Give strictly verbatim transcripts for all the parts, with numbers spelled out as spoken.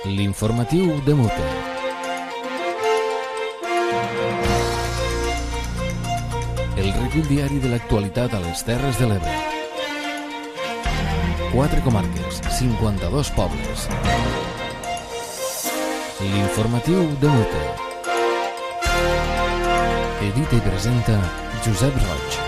L'informatiu de Mute. El recull diari de l'actualitat a les Terres de l'Ebre. Quatre comarques, cinquanta-dos pobles. L'informatiu de Mute. Edita i presenta Josep Roig.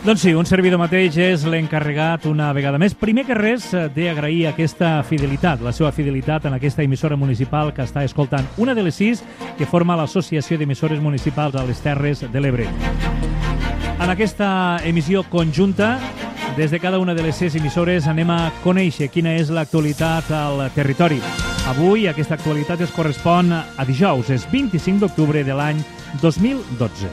Doncs sí, un servidor mateix és l'encarregat una vegada més. Primer que res, d'agrair aquesta fidelitat, la seva fidelitat en aquesta emissora municipal que està escoltant, una de les sis que forma l'Associació d'Emissores Municipals a les Terres de l'Ebre. En aquesta emissió conjunta, des de cada una de les sis emissores anem a conèixer quina és l'actualitat al territori. Avui aquesta actualitat es correspon a dijous, és vint-i-cinc d'octubre de l'any dos mil dotze.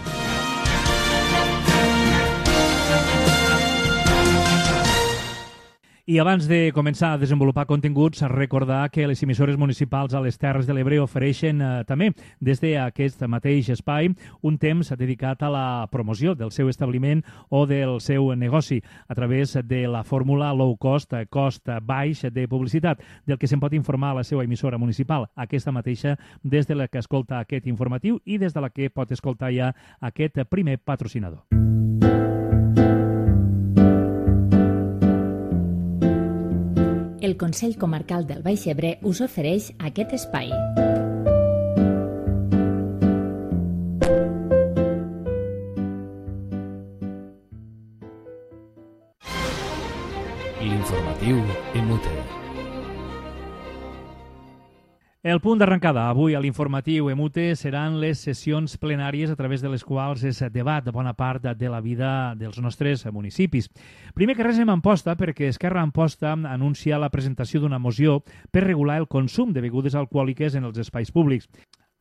I abans de començar a desenvolupar continguts, recordar que les emissores municipals a les Terres de l'Ebre ofereixen eh, també des d'aquest mateix espai un temps dedicat a la promoció del seu establiment o del seu negoci a través de la fórmula low cost, cost baix de publicitat, del que se'n pot informar a la seva emissora municipal, aquesta mateixa des de la que escolta aquest informatiu i des de la que pot escoltar ja aquest primer patrocinador. El Consell Comarcal del Baix Ebre us ofereix aquest espai. L'informatiu en Mute. El punt d'arrencada avui a l'informatiu E M U T E seran les sessions plenàries a través de les quals es debat bona part de la vida dels nostres municipis. Primer que res en Amposta, perquè Esquerra Amposta anuncia la presentació d'una moció per regular el consum de begudes alcohòliques en els espais públics.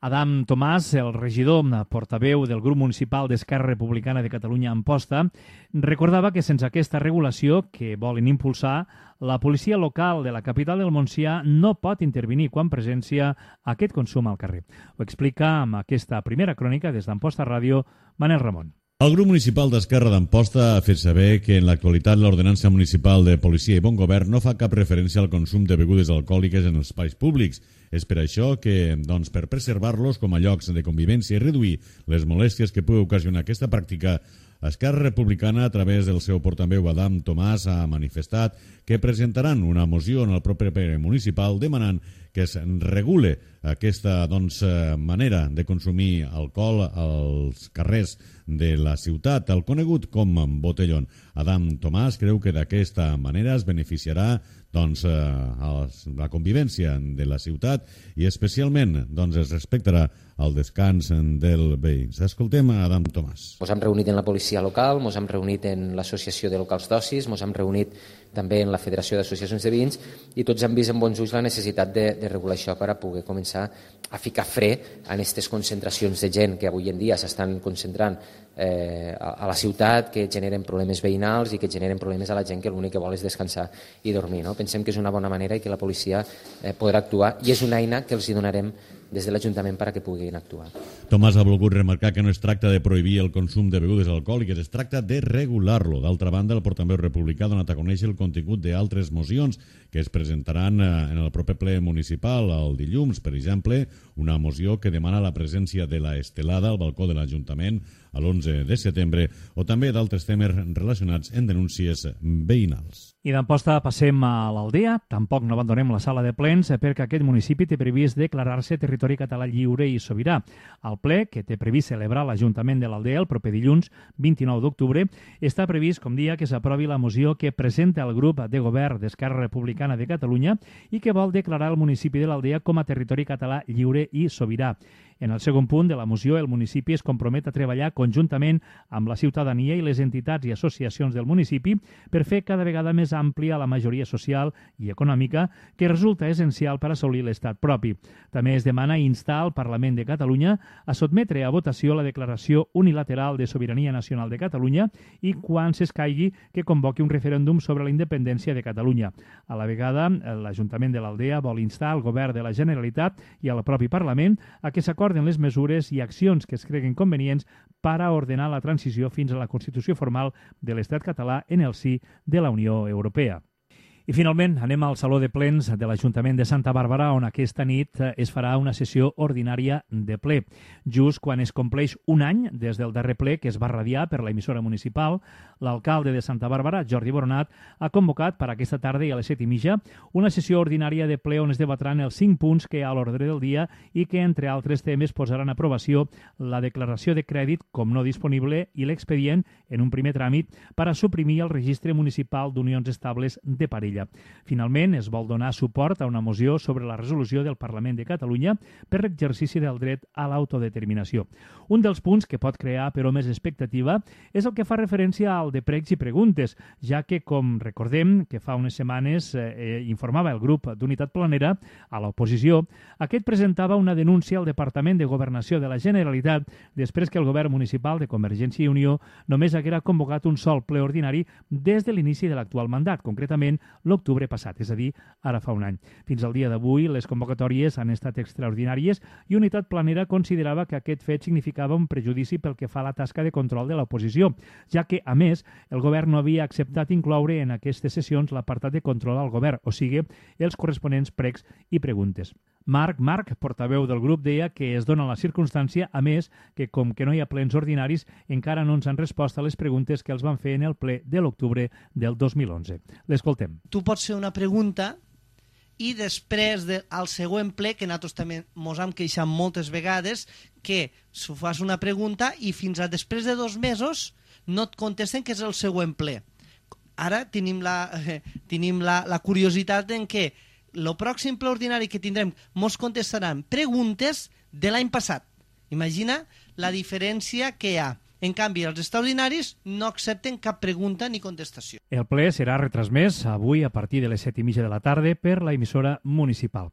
Adam Tomàs, el regidor portaveu del grup municipal d'Esquerra Republicana de Catalunya Amposta, recordava que sense aquesta regulació que volen impulsar, la policia local de la capital del Montsià no pot intervenir quan presència aquest consum al carrer. Ho explica amb aquesta primera crònica des d'Amposta Ràdio, Manel Ramon. El grup municipal d'Esquerra d'Amposta ha fet saber que en l'actualitat l'Ordenança Municipal de Policia i Bon Govern no fa cap referència al consum de begudes alcohòliques en els espais públics. És per això que, doncs, per preservar-los com a llocs de convivència i reduir les molèsties que pugui ocasionar aquesta pràctica, Esquerra Republicana, a través del seu portaveu Adam Tomàs, ha manifestat que presentaran una moció en el proper ple municipal demanant que es regule aquesta doncs, manera de consumir alcohol als carrers de la ciutat, el conegut com botellón. Adam Tomàs creu que d'aquesta manera es beneficiarà doncs, la convivència de la ciutat i especialment doncs, es respectarà el descans del veïns. Escoltem a Adam Tomàs. Ens hem reunit en la policia local, ens hem reunit en l'associació de locals d'ocis, ens hem reunit també en la Federació d'Associacions de Veïns i tots hem vist amb bons ulls la necessitat de, de regular això per a poder començar a ficar fre en aquestes concentracions de gent que avui en dia s'estan concentrant eh, a, a la ciutat, que generen problemes veïnals i que generen problemes a la gent que l'únic que vol és descansar i dormir. No? Pensem que és una bona manera i que la policia eh, podrà actuar i és una eina que els hi donarem des de l'Ajuntament per a que puguin actuar. Tomàs ha volgut remarcar que no es tracta de prohibir el consum de begudes alcohòliques, es tracta de regular-lo. D'altra banda, el portaveu republicà ha donat a conèixer el contingut d'altres mocions que es presentaran en el proper ple municipal el dilluns, per exemple, una moció que demana la presència de la estelada al balcó de l'Ajuntament a l'onze de setembre o també d'altres temes relacionats en denúncies veïnals. I d'Amposta passem a l'Aldea. Tampoc no abandonem la sala de plens perquè aquest municipi té previst declarar-se territori català lliure i sobirà. El ple, que té previst celebrar l'Ajuntament de l'Aldea el proper dilluns, vint-i-nou d'octubre, està previst, com dia, que s'aprovi la moció que presenta el grup de govern d'Esquerra Republicana de Catalunya i que vol declarar el municipi de l'Aldea com a territori català lliure i sobirà. En el segon punt de la moció, el municipi es compromet a treballar conjuntament amb la ciutadania i les entitats i associacions del municipi per fer cada vegada més àmplia la majoria social i econòmica que resulta essencial per assolir l'estat propi. També es demana instar al Parlament de Catalunya a sotmetre a votació la declaració unilateral de sobirania nacional de Catalunya i, quan s'escaigui, que convoqui un referèndum sobre la independència de Catalunya. A la vegada, l'Ajuntament de l'Aldea vol instar al Govern de la Generalitat i al propi Parlament a que s'acordin les mesures i accions que es creguen convenients per a ordenar la transició fins a la constitució formal de l'Estat català en el si de la Unió Europea. I finalment anem al Saló de Plens de l'Ajuntament de Santa Bàrbara, on aquesta nit es farà una sessió ordinària de ple. Just quan es compleix un any des del darrer ple que es va radiar per la emissora municipal, l'alcalde de Santa Bàrbara, Jordi Boronat, ha convocat per aquesta tarda i a les set i mitja una sessió ordinària de ple on es debatran els cinc punts que hi ha a l'ordre del dia i que, entre altres temes, posaran a aprovació la declaració de crèdit com no disponible i l'expedient, en un primer tràmit, per a suprimir el registre municipal d'unions estables de parella. Finalment, es vol donar suport a una moció sobre la resolució del Parlament de Catalunya per l'exercici del dret a l'autodeterminació. Un dels punts que pot crear, però, més expectativa és el que fa referència al de pregs i preguntes, ja que, com recordem, que fa unes setmanes eh, informava el grup d'Unitat Planera a l'oposició, aquest presentava una denúncia al Departament de Governació de la Generalitat després que el govern municipal de Convergència i Unió només haguera convocat un sol ple ordinari des de l'inici de l'actual mandat, concretament l'octubre passat, és a dir, ara fa un any. Fins al dia d'avui, les convocatòries han estat extraordinàries i Unitat Planera considerava que aquest fet significava un prejudici pel que fa a la tasca de control de l'oposició, ja que, a més, el govern no havia acceptat incloure en aquestes sessions l'apartat de control al govern, o sigui, els corresponents pregs i preguntes. Marc Marc, portaveu del grup, deia que es dona la circumstància, a més, que com que no hi ha plens ordinaris, encara no ens han respost a les preguntes que els van fer en el ple de l'octubre del dos mil onze. L'escoltem. Tu pots fer una pregunta i després del de, següent ple, que nosaltres també mos hem queixat moltes vegades, que si fas una pregunta i fins a després de dos mesos no et contesten que és el següent ple. Ara tenim la, eh, tenim la, la curiositat en què el pròxim ple ordinari que tindrem mos contestaran preguntes de l'any passat. Imagina la diferència que hi ha. En canvi, els extraordinaris no accepten cap pregunta ni contestació. El ple serà retransmès avui a partir de les set i mitja de la tarda per la emissora municipal.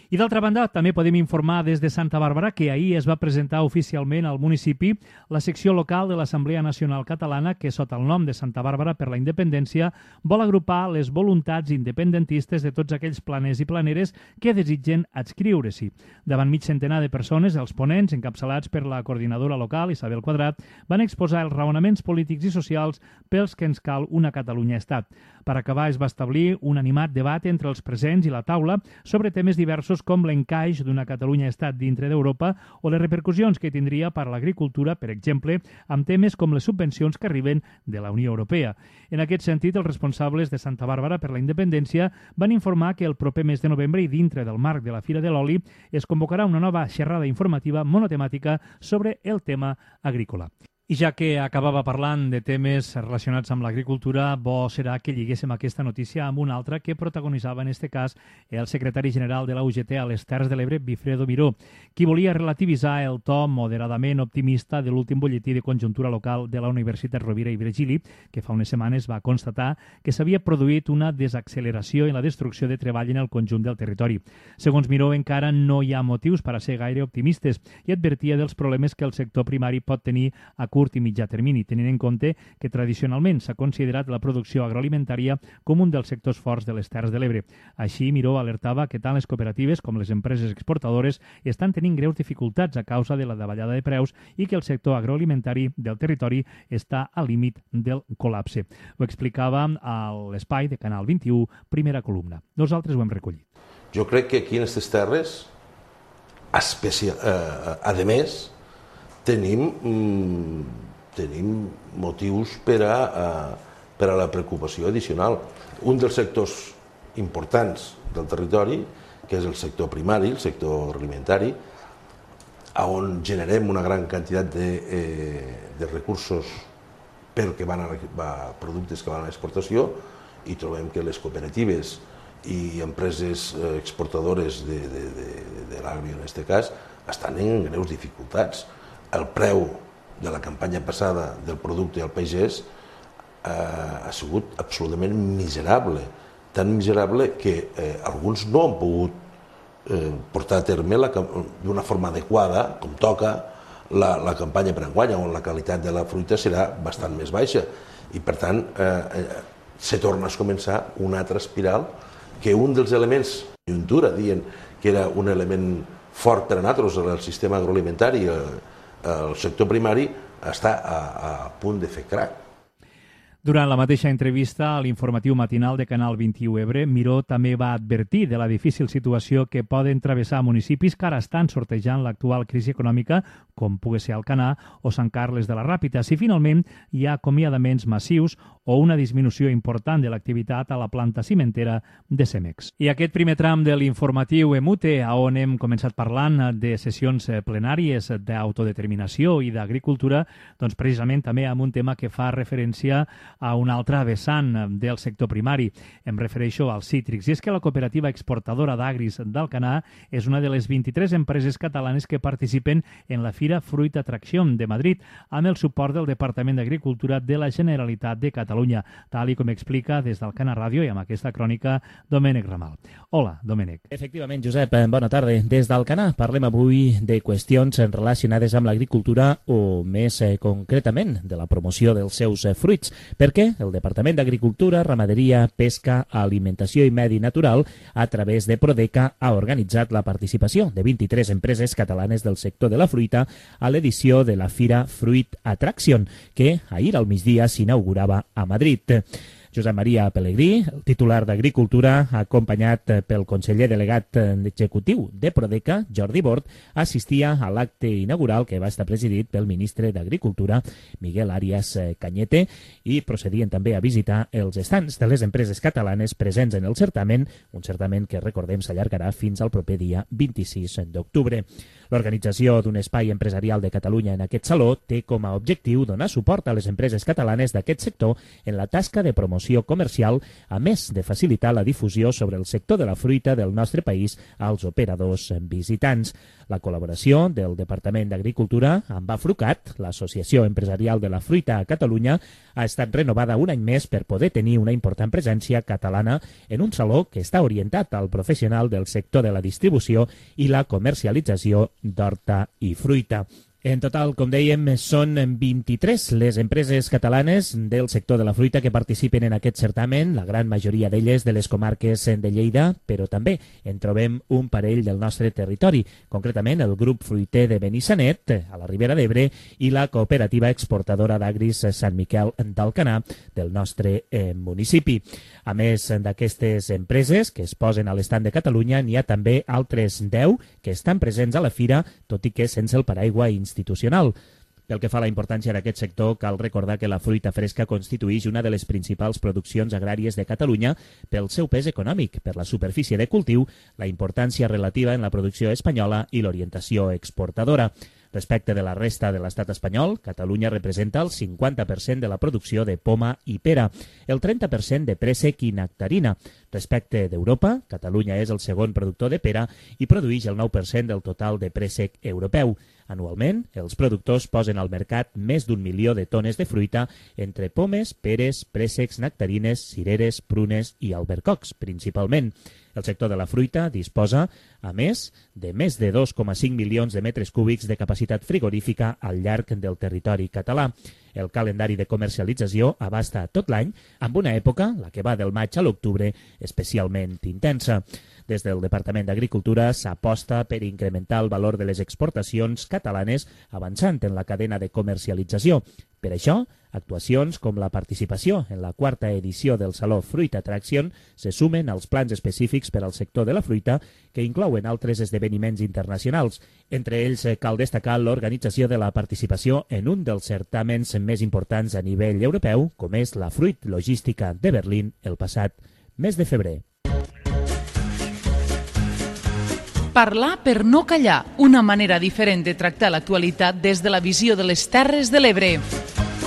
I d'altra banda, també podem informar des de Santa Bàrbara que ahir es va presentar oficialment al municipi la secció local de l'Assemblea Nacional Catalana que, sota el nom de Santa Bàrbara per la Independència, vol agrupar les voluntats independentistes de tots aquells planers i planeres que desitgen adscriure-s'hi. Davant mig centenar de persones, els ponents, encapçalats per la coordinadora local, Isabel Quadrat, van exposar els raonaments polítics i socials pels que ens cal una Catalunya-Estat. Per acabar, es va establir un animat debat entre els presents i la taula sobre temes diversos com l'encaix d'una Catalunya-Estat dintre d'Europa o les repercussions que tindria per a l'agricultura, per exemple, amb temes com les subvencions que arriben de la Unió Europea. En aquest sentit, els responsables de Santa Bàrbara per la Independència van informar que el proper mes de novembre i dintre del marc de la Fira de l'Oli es convocarà una nova xerrada informativa monotemàtica sobre el tema agrícola. I ja que acabava parlant de temes relacionats amb l'agricultura, bo serà que lliguéssim aquesta notícia amb una altra que protagonitzava en este cas el secretari general de la U G T a les Terres de l'Ebre, Bifredo Miró, qui volia relativitzar el to moderadament optimista de l'últim butlletí de conjuntura local de la Universitat Rovira i Virgili, que fa unes setmanes va constatar que s'havia produït una desacceleració en la destrucció de treball en el conjunt del territori. Segons Miró, encara no hi ha motius per a ser gaire optimistes i advertia dels problemes que el sector primari pot tenir a curt i mitjà termini, tenint en compte que tradicionalment s'ha considerat la producció agroalimentària com un dels sectors forts de les Terres de l'Ebre. Així, Miró alertava que tant les cooperatives com les empreses exportadores estan tenint greus dificultats a causa de la davallada de preus i que el sector agroalimentari del territori està al límit del col·lapse. Ho explicava a l'espai de Canal vint-i-u, primera columna. Nosaltres ho hem recollit. Jo crec que aquí en aquestes terres, especial, eh, a més, Tenim, mm, tenim motius per a, a, per a la preocupació addicional. Un dels sectors importants del territori, que és el sector primari, el sector alimentari, on generem una gran quantitat de, eh, de recursos perquè van a, a productes que van a l'exportació, i trobem que les cooperatives i empreses exportadores de, de, de, de l'agri, en aquest cas, estan en greus dificultats. El preu de la campanya passada del producte al pagès eh, ha sigut absolutament miserable, tan miserable que eh, alguns no han pogut eh, portar a terme d'una forma adequada, com toca, la, la campanya per enguany, on la qualitat de la fruita serà bastant més baixa. I, per tant, eh, eh, se torna a començar una altra espiral que un dels elements de conjuntura, dient que era un element fort per a nosaltres, el sistema agroalimentari, el sector primari, està a, a punt de fer crac. Durant la mateixa entrevista a l'informatiu matinal de Canal vint-i-u Ebre, Miró també va advertir de la difícil situació que poden travessar municipis que ara estan sortejant l'actual crisi econòmica, com pugui ser Alcanar o Sant Carles de la Ràpita, si finalment hi ha acomiadaments massius o una disminució important de l'activitat a la planta cimentera de Cemex. I aquest primer tram de l'informatiu EMUTE, on hem començat parlant de sessions plenàries d'autodeterminació i d'agricultura, doncs precisament també amb un tema que fa referència a un altre vessant del sector primari. Em refereixo als cítrics. I és que la cooperativa exportadora d'Agris d'Alcanar és una de les vint-i-tres empreses catalanes que participen en la Fira Fruit Attraction de Madrid, amb el suport del Departament d'Agricultura de la Generalitat de Catalunya, tal i com explica des d'Alcanar Ràdio i amb aquesta crònica Domènec Ramal. Hola, Domènec. Efectivament, Josep, bona tarda. Des d'Alcanar parlem avui de qüestions relacionades amb l'agricultura o més eh, concretament de la promoció dels seus eh, fruits, perquè el Departament d'Agricultura, Ramaderia, Pesca, Alimentació i Medi Natural, a través de Prodeca, ha organitzat la participació de vint-i-tres empreses catalanes del sector de la fruita a l'edició de la Fira Fruit Attraction, que ahir al migdia s'inaugurava a Madrid. Josep Maria Pelegrí, el titular d'Agricultura, acompanyat pel conseller delegat executiu de Prodeca, Jordi Bort, assistia a l'acte inaugural que va estar presidit pel ministre d'Agricultura, Miguel Arias Cañete, i procedien també a visitar els estants de les empreses catalanes presents en el certamen, un certamen que, recordem, s'allargarà fins al proper dia vint-i-sis d'octubre. L'organització d'un espai empresarial de Catalunya en aquest saló té com a objectiu donar suport a les empreses catalanes d'aquest sector en la tasca de promoció comercial, a més de facilitar la difusió sobre el sector de la fruita del nostre país als operadors visitants. La col·laboració del Departament d'Agricultura amb Afrucat, l'Associació Empresarial de la Fruita a Catalunya, ha estat renovada un any més per poder tenir una important presència catalana en un saló que està orientat al professional del sector de la distribució i la comercialització d'horta i fruita. En total, com dèiem, són vint-i-tres les empreses catalanes del sector de la fruita que participen en aquest certamen, la gran majoria d'elles de les comarques de Lleida, però també en trobem un parell del nostre territori, concretament el grup fruiter de Benissanet, a la Ribera d'Ebre, i la cooperativa exportadora d'Agris Sant Miquel d'Alcanar del nostre eh, municipi. A més d'aquestes empreses que es posen a l'estand de Catalunya, n'hi ha també altres deu que estan presents a la fira, tot i que sense el paraigua institucional. Pel que fa a la importància d'aquest sector, cal recordar que la fruita fresca constitueix una de les principals produccions agràries de Catalunya pel seu pes econòmic, per la superfície de cultiu, la importància relativa en la producció espanyola i l'orientació exportadora. Respecte de la resta de l'estat espanyol, Catalunya representa el cinquanta per cent de la producció de poma i pera, el trenta per cent de préssec i nectarina. Respecte d'Europa, Catalunya és el segon productor de pera i produeix el nou per cent del total de préssec europeu. Anualment, els productors posen al mercat més d'un milió de tones de fruita entre pomes, peres, préssecs, nectarines, cireres, prunes i albercocs, principalment. El sector de la fruita disposa, a més, de més de dos coma cinc milions de metres cúbics de capacitat frigorífica al llarg del territori català. El calendari de comercialització abasta tot l'any, amb una època, la que va del maig a l'octubre, especialment intensa. Des del Departament d'Agricultura s'aposta per incrementar el valor de les exportacions catalanes avançant en la cadena de comercialització. Per això, actuacions com la participació en la quarta edició del Saló Fruit Attraction se sumen als plans específics per al sector de la fruita que inclouen altres esdeveniments internacionals. Entre ells cal destacar l'organització de la participació en un dels certàmens més importants a nivell europeu, com és la Fruit Logística de Berlín el passat mes de febrer. Parlar per no callar, una manera diferent de tractar l'actualitat des de la visió de les Terres de l'Ebre.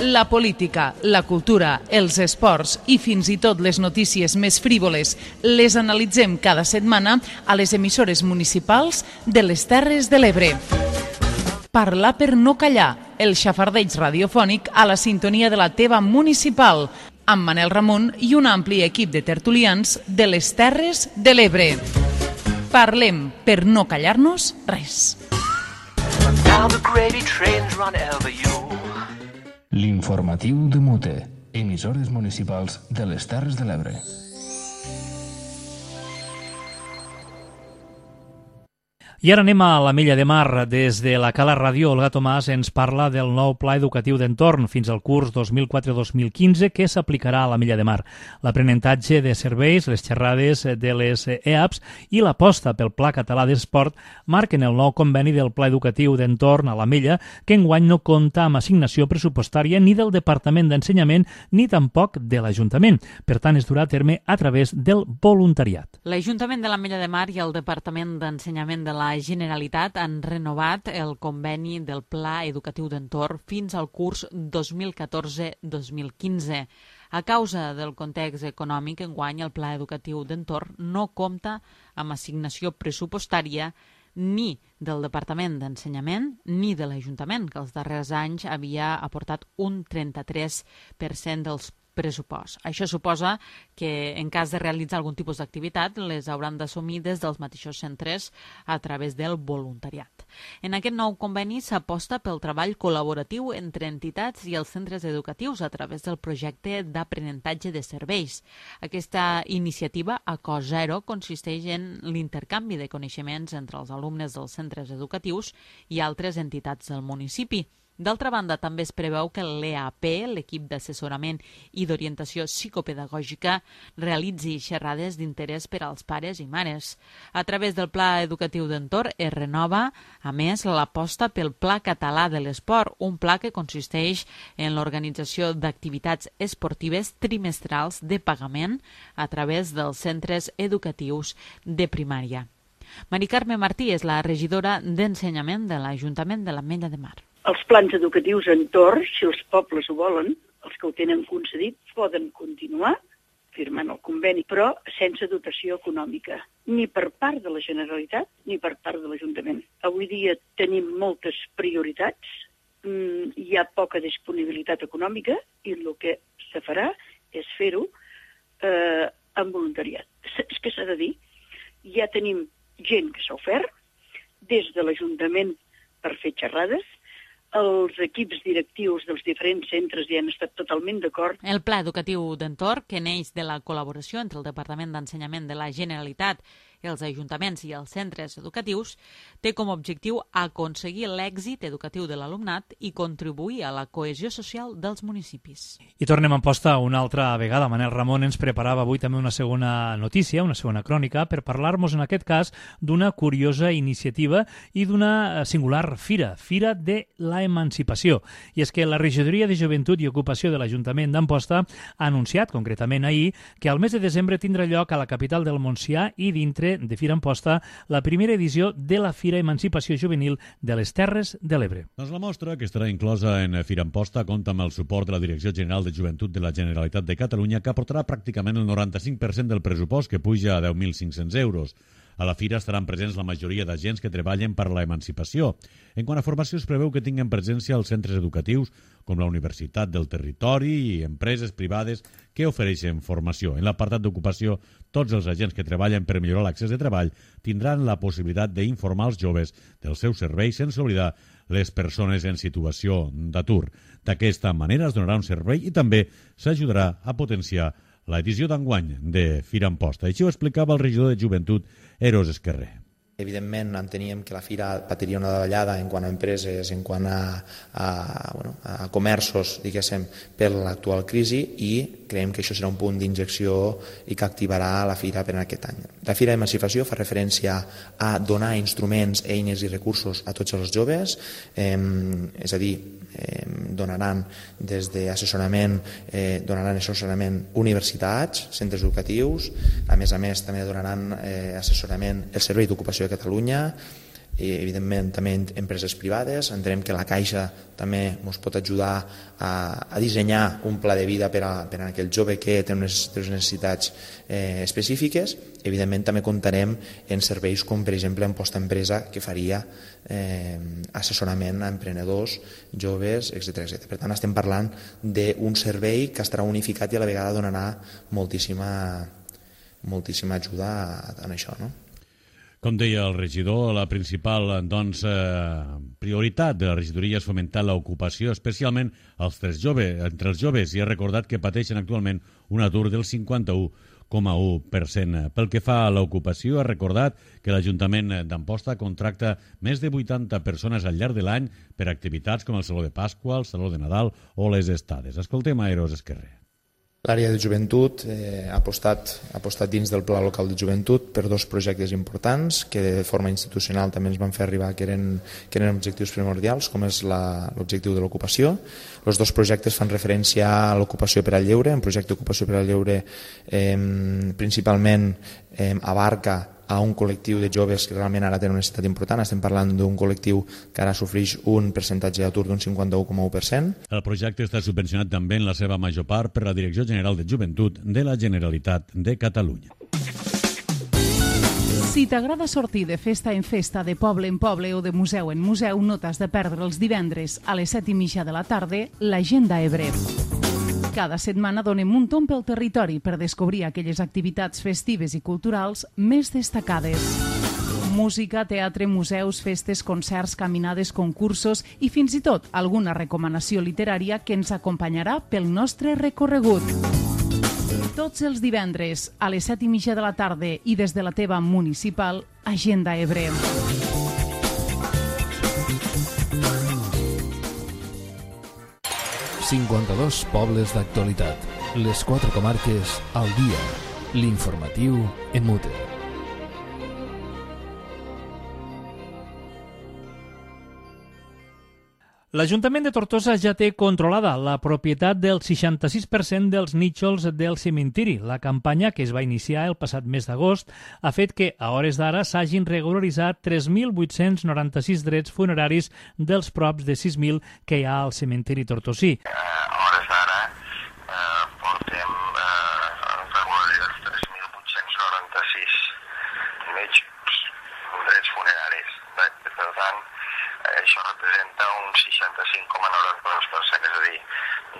La política, la cultura, els esports i fins i tot les notícies més frívoles les analitzem cada setmana a les emissores municipals de les Terres de l'Ebre. Parlar per no callar, el xafardeig radiofònic a la sintonia de la teva municipal, amb Manel Ramon i un ampli equip de tertulians de les Terres de l'Ebre. Parlem per no callar-nos res. L'informatiu de Mute, emissores municipals de les Terres de l'Ebre. I ara anem a l'Ametlla de Mar. Des de la Cala Ràdio, Olga Tomàs ens parla del nou Pla Educatiu d'Entorn fins al curs dos mil quatre dos mil quinze que s'aplicarà a l'Ametlla de Mar. L'aprenentatge de serveis, les xerrades de les E A Ps i l'aposta pel Pla Català d'Esport marquen el nou conveni del Pla Educatiu d'Entorn a l'Ametlla, que enguany no compta amb assignació pressupostària ni del Departament d'Ensenyament ni tampoc de l'Ajuntament. Per tant, es durà a terme a través del voluntariat. L'Ajuntament de l'Ametlla de Mar i el Departament d'Ensenyament de la Generalitat han renovat el conveni del Pla Educatiu d'Entorn fins al curs dos mil catorze dos mil quinze. A causa del context econòmic, enguany el Pla Educatiu d'Entorn no compta amb assignació pressupostària ni del Departament d'Ensenyament ni de l'Ajuntament, que els darrers anys havia aportat un trenta-tres per cent dels pressupost. Això suposa que en cas de realitzar algun tipus d'activitat les hauran d'assumir des dels mateixos centres a través del voluntariat. En aquest nou conveni s'aposta pel treball col·laboratiu entre entitats i els centres educatius a través del projecte d'aprenentatge de serveis. Aquesta iniciativa a cost zero consisteix en l'intercanvi de coneixements entre els alumnes dels centres educatius i altres entitats del municipi. D'altra banda, també es preveu que l'E A P, l'equip d'assessorament i d'orientació psicopedagògica, realitzi xerrades d'interès per als pares i mares. A través del Pla Educatiu d'Entorn es renova, a més, l'aposta pel Pla Català de l'Esport, un pla que consisteix en l'organització d'activitats esportives trimestrals de pagament a través dels centres educatius de primària. Mari Carme Martí és la regidora d'Ensenyament de l'Ajuntament de l'Ametlla de Mar. Els plans educatius entorn, si els pobles ho volen, els que ho tenen concedit, poden continuar firmant el conveni, però sense dotació econòmica, ni per part de la Generalitat ni per part de l'Ajuntament. Avui dia tenim moltes prioritats, hi ha poca disponibilitat econòmica i el que se farà és fer-ho eh, amb voluntariat. És que s'ha de dir, ja tenim gent que s'ha ofert des de l'Ajuntament per fer xerrades. Els equips directius dels diferents centres hi han estat totalment d'acord. El Pla Educatiu d'Entorn, que neix de la col·laboració entre el Departament d'Ensenyament de la Generalitat, els ajuntaments i els centres educatius, té com a objectiu aconseguir l'èxit educatiu de l'alumnat i contribuir a la cohesió social dels municipis. I tornem a Amposta una altra vegada. Manel Ramon ens preparava avui també una segona notícia, una segona crònica, per parlar-nos en aquest cas d'una curiosa iniciativa i d'una singular fira, Fira de la Emancipació. I és que la Regidoria de Joventut i Ocupació de l'Ajuntament d'Amposta ha anunciat, concretament ahir, que al mes de desembre tindrà lloc a la capital del Montsià i dintre de Fira Amposta la primera edició de la Fira Emancipació Juvenil de les Terres de l'Ebre. Doncs la mostra, que estarà inclosa en Fira Amposta, compta amb el suport de la Direcció General de Joventut de la Generalitat de Catalunya, que aportarà pràcticament el noranta-cinc per cent del pressupost, que puja a deu mil cinc-cents euros. A la fira estaran presents la majoria d'agents que treballen per la emancipació. En quant a formació, es preveu que tinguen presència als centres educatius, com la Universitat del Territori i empreses privades que ofereixen formació. En l'apartat d'ocupació, tots els agents que treballen per millorar l'accés de treball tindran la possibilitat d'informar els joves dels seus serveis, sense oblidar les persones en situació d'atur. D'aquesta manera es donarà un servei i també s'ajudarà a potenciar l'edició d'enguany de Fira Amposta. Així ho explicava el regidor de Joventut, Eros Esquerrer. Evidentment, enteníem que la fira patiria una davallada en quant a empreses, en quant a, a, bueno, a comerços, diguéssim, per l'actual crisi, i creiem que això serà un punt d'injecció i que activarà la fira per aquest any. La Fira d'Emancipació fa referència a donar instruments, eines i recursos a tots els joves, eh, és a dir, eh, donaran des d'assessorament, eh, donaran assessorament universitats, centres educatius, a més a més també donaran eh, assessorament el Servei d'Ocupació de Catalunya, i evidentment també empreses privades. Entenem que la Caixa també ens pot ajudar a, a dissenyar un pla de vida per a, per a aquell jove que té unes, unes necessitats eh, específiques. Evidentment també comptarem en serveis com per exemple en Posta-Empresa, que faria eh, assessorament a emprenedors, joves, etcètera etcètera. Per tant, estem parlant d'un servei que estarà unificat i a la vegada donarà moltíssima, moltíssima ajuda en això, no? Com deia el regidor, la principal doncs, eh, prioritat de la regidoria és fomentar l'ocupació, especialment als tres joves, entre els joves, i ha recordat que pateixen actualment un atur del cinquanta-u coma u per cent. Pel que fa a l'ocupació, ha recordat que l'Ajuntament d'Amposta contracta més de vuitanta persones al llarg de l'any per activitats com el Saló de Pasqua, el Saló de Nadal o les estades. Escoltem a Eros Esquerrer. L'àrea de joventut eh, ha, apostat, ha apostat dins del Pla Local de Joventut per dos projectes importants que de forma institucional també ens van fer arribar que eren, que eren objectius primordials, com és l'objectiu de l'ocupació. Els dos projectes fan referència a l'ocupació per al lleure. Un projecte d'ocupació per al lleure eh, principalment eh, abarca a un col·lectiu de joves que realment ara tenen una necessitat important. Estem parlant d'un col·lectiu que ara sofreix un percentatge d'atur d'un cinquanta-u coma u per cent. El projecte està subvencionat també en la seva major part per la Direcció General de Joventut de la Generalitat de Catalunya. Si t'agrada sortir de festa en festa, de poble en poble o de museu en museu, no t'has de perdre els divendres a les set i mitja de la tarda l'Agenda Ebre. Cada setmana donem un tomb pel territori per descobrir aquelles activitats festives i culturals més destacades. Música, teatre, museus, festes, concerts, caminades, concursos i fins i tot alguna recomanació literària que ens acompanyarà pel nostre recorregut. Tots els divendres a les set i mitja de la tarda i des de la teva municipal, Agenda Ebre. cinquanta-dos pobles d'actualitat. Les quatre comarques al dia. L'informatiu en mute. L'Ajuntament de Tortosa ja té controlada la propietat del seixanta-sis per cent dels nínxols del cementiri. La campanya, que es va iniciar el passat mes d'agost, ha fet que, a hores d'ara, s'hagin regularitzat tres mil vuit-cents noranta-sis drets funeraris dels props de sis mil que hi ha al cementiri tortosí. A hores d'ara eh, portem eh, regularitzats tres mil vuit-cents noranta-sis drets funeraris. Per tant, això representa un seixanta-cinc coma noranta-dos per cent, és a dir,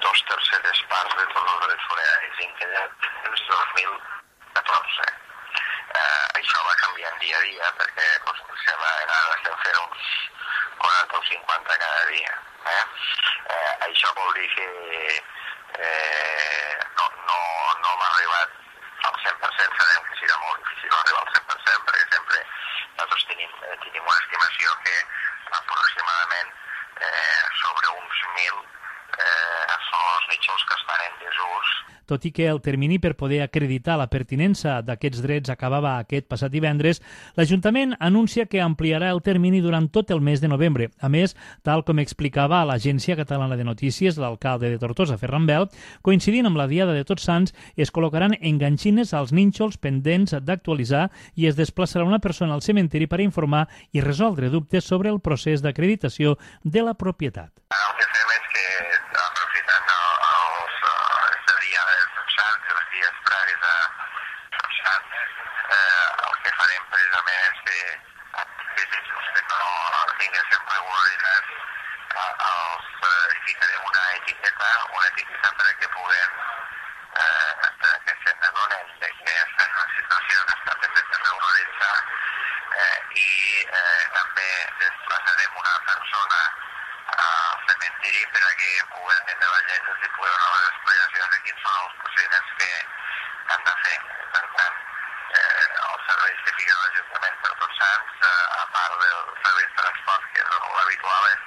dos terceres parts de tots els drets funeraris inquedats des de dos mil catorze. Eh, això va canviant dia a dia perquè doncs, sembla que ara estem fent uns quaranta o cinquanta cada dia. Eh? Eh, això vol dir que eh, no, no, no m'ha arribat al cent per cent, sabem que serà molt difícil arribar al cent per cent perquè sempre nosaltres tenim, tenim una estimació que aproximadament eh, sobre uns mil eh, són els nínxols que estan en desús. Tot i que el termini per poder acreditar la pertinença d'aquests drets acabava aquest passat divendres, l'Ajuntament anuncia que ampliarà el termini durant tot el mes de novembre. A més, tal com explicava a l'Agència Catalana de Notícies l'alcalde de Tortosa, Ferran Bel, coincidint amb la Diada de Tots Sants, es col·locaran enganxines als nínxols pendents d'actualitzar i es desplaçarà una persona al cementiri per informar i resoldre dubtes sobre el procés d'acreditació de la propietat. El que fem és que, aprofitant els, els dies de Tots Sants i els dies previs a Tots Sants, eh, el que farem precisament és que aquells que no tinguéssim regularitzats els eh, ficarem una etiqueta, una etiqueta perquè puguem eh, que se n'adonen que estan en una situació que està pendent de regularitzar eh, i eh, també desplaçarem una persona al cementiri per a que pugui atendre la gent i pugui donar les explicacions de quins són els procediments que han de fer. Per tant, eh, els serveis que fica l'Ajuntament per Tots Sants, eh, a part del servei de transport, que és l'habitual, és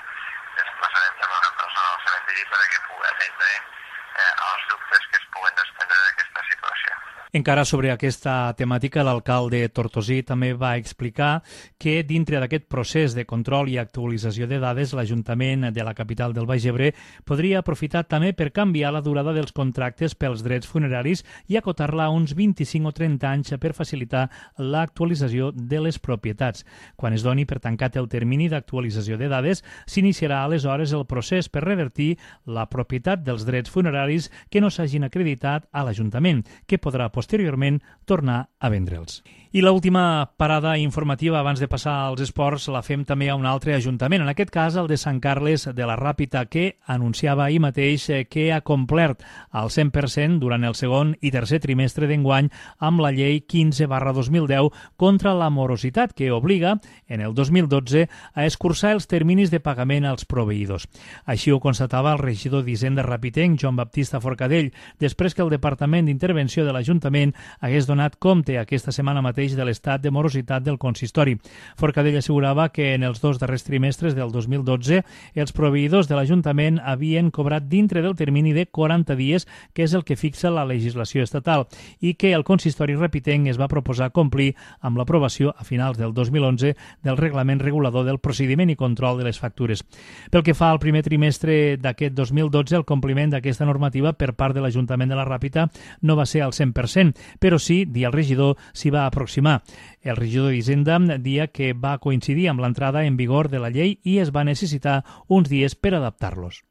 desplaçarem també una persona al cementiri per a que pugui atendre eh, els dubtes que es puguen desprendre d'aquesta situació. Encara sobre aquesta temàtica, l'alcalde tortosí també va explicar que dintre d'aquest procés de control i actualització de dades, l'Ajuntament de la capital del Baix Ebre podria aprofitar també per canviar la durada dels contractes pels drets funeraris i acotar-la a uns vint-i-cinc o trenta anys per facilitar l'actualització de les propietats. Quan es doni per tancat el termini d'actualització de dades, s'iniciarà aleshores el procés per revertir la propietat dels drets funeraris que no s'hagin acreditat a l'Ajuntament, que podrà posteriorment tornar a vendre'ls. I l'última parada informativa abans de passar als esports la fem també a un altre ajuntament, en aquest cas el de Sant Carles de la Ràpita, que anunciava ahir mateix que ha complert al cent per cent durant el segon i tercer trimestre d'enguany amb la llei quinze barra dos mil deu contra la morositat, que obliga, en el dos mil dotze, a escurçar els terminis de pagament als proveïdors. Així ho constatava el regidor d'Hisenda Ràpitenc, Joan Baptista Forcadell, després que el Departament d'Intervenció de l'Ajuntament l'Ajuntament hagués donat compte aquesta setmana mateix de l'estat de morositat del consistori. Forcadell assegurava que en els dos darrers trimestres del dos mil dotze els proveïdors de l'Ajuntament havien cobrat dintre del termini de quaranta dies, que és el que fixa la legislació estatal, i que el consistori repitenc es va proposar complir amb l'aprovació a finals del dos mil onze del reglament regulador del procediment i control de les factures. Pel que fa al primer trimestre d'aquest dos mil dotze, el compliment d'aquesta normativa per part de l'Ajuntament de la Ràpita no va ser al cent per cent, però sí, dia el regidor, s'hi va aproximar. El regidor d'Hisenda dia que va coincidir amb l'entrada en vigor de la llei i es va necessitar uns dies per adaptar-los.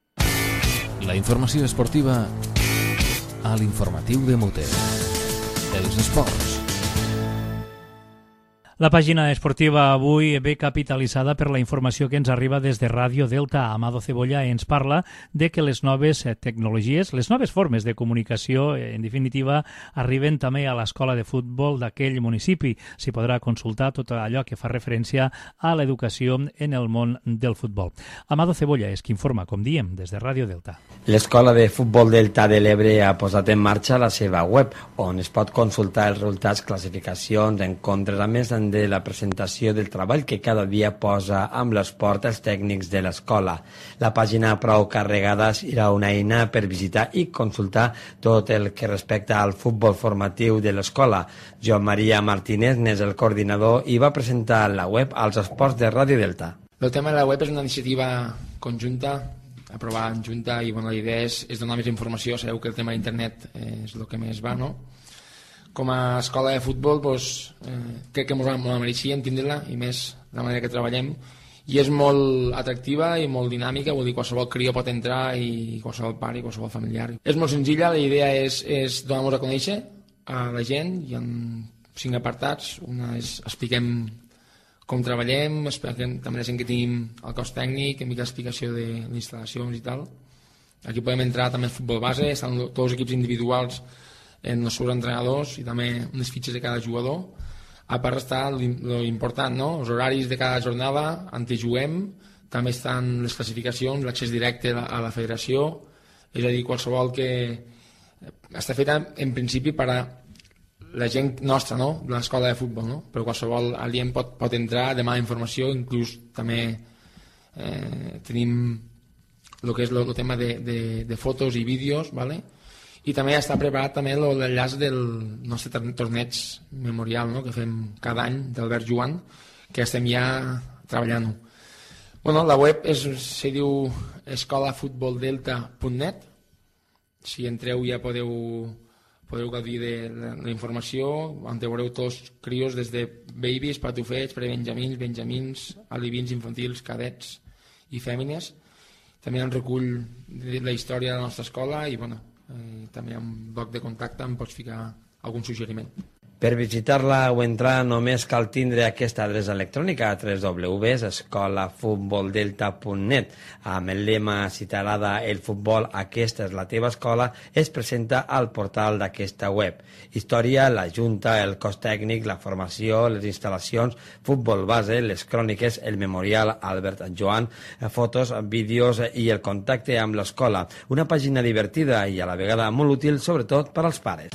La informació esportiva a l'informatiu de Mute. Els esports. La pàgina esportiva avui ve capitalitzada per la informació que ens arriba des de Ràdio Delta. Amado Cebolla ens parla de que les noves tecnologies, les noves formes de comunicació, en definitiva, arriben també a l'escola de futbol d'aquell municipi. S'hi podrà consultar tot allò que fa referència a l'educació en el món del futbol. Amado Cebolla és qui informa, com diem, des de Ràdio Delta. L'escola de futbol Delta de l'Ebre ha posat en marxa la seva web, on es pot consultar els resultats, classificacions, encontres, a més de la presentació del treball que cada dia posa amb l'esport els tècnics de l'escola. La pàgina prou carregada serà una eina per visitar i consultar tot el que respecta al futbol formatiu de l'escola. Joan Maria Martínez n'és el coordinador i va presentar la web als esports de Ràdio Delta. El tema de la web és una iniciativa conjunta, aprovada en junta, i bueno, la idea és, és donar més informació. Sabeu que el tema d'internet és el que més va, no? Com a escola de futbol, doncs, eh, crec que ens la mereixíem tindre-la, i més de la manera que treballem, i és molt atractiva i molt dinàmica, vull dir, qualsevol crió pot entrar, i qualsevol pare i qualsevol familiar. És molt senzilla, la idea és, és donar-nos a conèixer a la gent, i en cinc apartats. Una és expliquem com treballem, expliquem també la gent que tenim el cos tècnic, en mica explicació de les instal·lacions i tal. Aquí podem entrar també el futbol base, estan tots els equips individuals en els seus entrenadors i també unes fitxes de cada jugador. A part està l'important, no? Els horaris de cada jornada, on juguem, també estan les classificacions, l'accés directe a la federació, és a dir, qualsevol que està feta en principi per a la gent nostra, no? De l'escola de futbol, no? Però qualsevol alien pot, pot entrar, demanar informació, inclús també eh, tenim el que és el tema de, de, de fotos i vídeos, ¿vale? I també està preparat també l'enllaç del nostre torneig memorial, no? Que fem cada any d'Albert Joan, que estem ja treballant-ho. Bueno, la web és, se diu escola futbol delta punt net. Si entreu ja podeu, podeu gaudir de la informació, on veureu tots crios des de babies, patufets, prebenjamins, benjamins, alivins infantils, cadets i fèmines. També hi ha un recull de la història de la nostra escola i, bueno, Eh, també hi ha un bloc de contacte, em pots ficar algun suggeriment. Per visitar-la o entrar només cal tindre aquesta adreça electrònica a w w w punt escola futbol delta punt net. Amb el lema "Si t'agrada el futbol, aquesta és la teva escola", es presenta al portal d'aquesta web. Història, la junta, el cos tècnic, la formació, les instal·lacions, futbol base, les cròniques, el memorial Albert Joan, fotos, vídeos i el contacte amb l'escola. Una pàgina divertida i a la vegada molt útil, sobretot per als pares.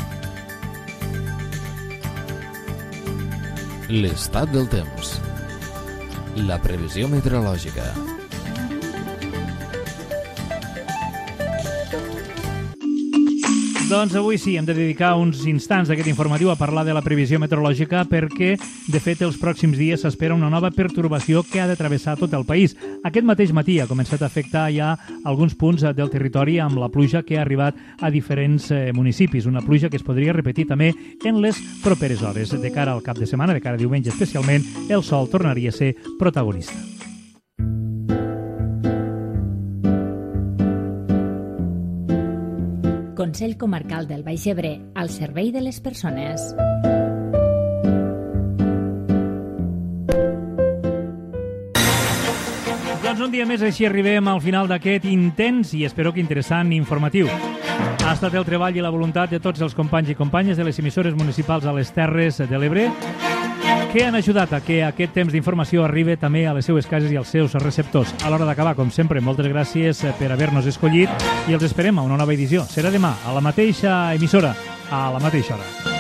L'estat del temps. La previsió meteorològica. Doncs avui sí, hem de dedicar uns instants d'aquest informatiu a parlar de la previsió meteorològica perquè, de fet, els pròxims dies s'espera una nova pertorbació que ha de travessar tot el país. Aquest mateix matí ha començat a afectar ja alguns punts del territori amb la pluja que ha arribat a diferents eh, municipis. Una pluja que es podria repetir també en les properes hores. De cara al cap de setmana, de cara a diumenge especialment, el sol tornaria a ser protagonista. Consell Comarcal del Baix Ebre, al servei de les persones. Doncs un dia més així arribem al final d'aquest intens i espero que interessant informatiu. Ha estat el treball i la voluntat de tots els companys i companyes de les emissores municipals a les Terres de l'Ebre que han ajudat a que aquest temps d'informació arribi també a les seues cases i als seus receptors. A l'hora d'acabar, com sempre, moltes gràcies per haver-nos escollit i els esperem a una nova edició. Serà demà, a la mateixa emissora, a la mateixa hora.